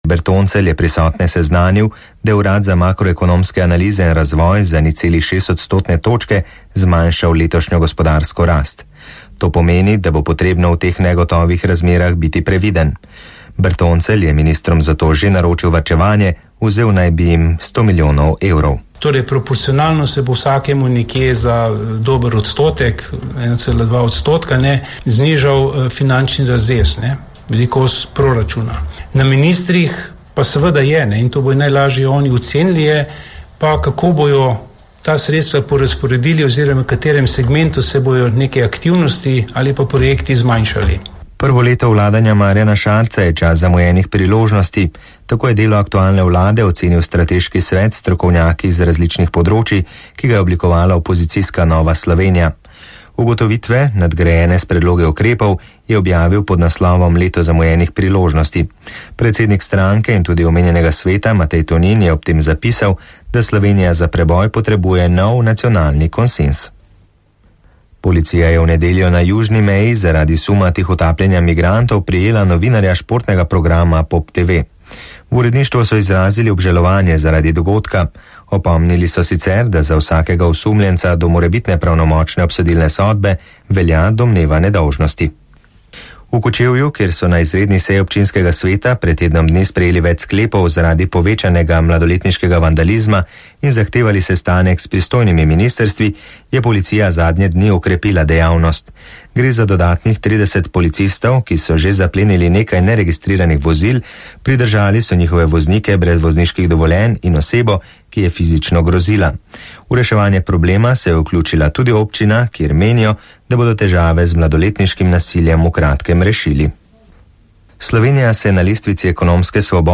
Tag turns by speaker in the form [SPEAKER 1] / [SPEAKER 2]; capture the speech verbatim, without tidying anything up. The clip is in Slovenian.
[SPEAKER 1] Bertoncelj je prisotne seznanil, da je Urad za makroekonomske analize in razvoj za nič celih šest odstotne točke zmanjšal letošnjo gospodarsko rast. To pomeni, da bo potrebno v teh negotovih razmerah biti previden. Bertoncelj je ministrom zato že naročil varčevanje, vzel naj bi jim sto milijonov evrov.
[SPEAKER 2] Torej, proporcionalno se bo vsakemu nekje za dober odstotek, ena cela dva odstotka, ne, znižal finančni razrez, ne, velikost proračuna. Na ministrih pa seveda je, ne, in to bo najlažje oni ocenili, je pa kako bojo ta sredstva porazporedili oziroma v katerem segmentu se bojo neke aktivnosti ali pa projekti zmanjšali.
[SPEAKER 1] Prvo leto vladanja Marjana Šarca je čas zamujenih priložnosti. Tako je delo aktualne vlade ocenil strateški svet strokovnjaki iz različnih področij, ki ga je oblikovala opozicijska Nova Slovenija. Ugotovitve, nadgrajene s predloge ukrepov, je objavil pod naslovom Leto zamujenih priložnosti. Predsednik stranke in tudi omenjenega sveta Matej Tonin je ob tem zapisal, da Slovenija za preboj potrebuje nov nacionalni konsens. Policija je v nedeljo na južni meji zaradi suma tihotapljenja migrantov prijela novinarja športnega programa Pop T V. V uredništvu so izrazili obžalovanje zaradi dogodka. Opomnili so sicer, da za vsakega osumljenca do morebitne pravnomočne obsodilne sodbe velja domneva nedolžnosti. V Kočevju, kjer so na izredni seji občinskega sveta pred tednom dni sprejeli več sklepov zaradi povečanega mladoletniškega vandalizma in zahtevali sestanek s pristojnimi ministrstvi, je policija zadnje dni okrepila dejavnost. Gre za dodatnih trideset policistov, ki so že zaplenili nekaj neregistriranih vozil, pridržali so njihove voznike brez vozniških dovoljenj in osebo, ki je fizično grozila. V reševanje problema se je vključila tudi občina, kjer menijo, da bodo težave z mladoletniškim nasiljem v kratkem rešili. Slovenija se na lestvici ekonomske svobode